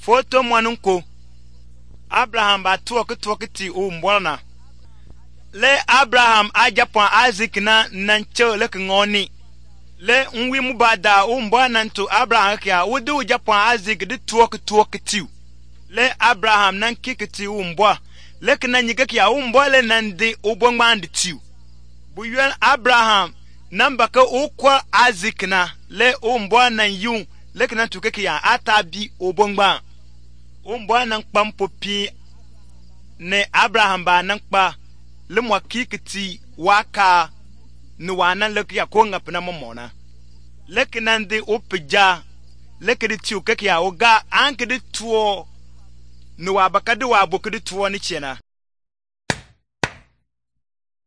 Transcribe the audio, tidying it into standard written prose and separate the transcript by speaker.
Speaker 1: Foto mwanunko Abraham ba tuwaki umbwana. Le Abraham ajapon Isaac na nancho le ngoni. Le nwi mubada umbwana nto Abraham kya wudu japon Isaac de tuwaki tiu. Le Abraham nan kikiti umbwa. Le kana nyika kya umbwa le nandi ubongmandi tiu. Buyel Abraham nambaka ukwa Isaac na le umbwa nan yun le kana tukeki ya atabi ubongba. Umbwa nan kpampopi ne Abraham ba nan kpa le mwa kikiti waka ni wana le ya konga pina momona. Le kana ndi upija le kedi tiu keki ya uga anke di tuo ni wabaka di wabo kedi tuo ni chena.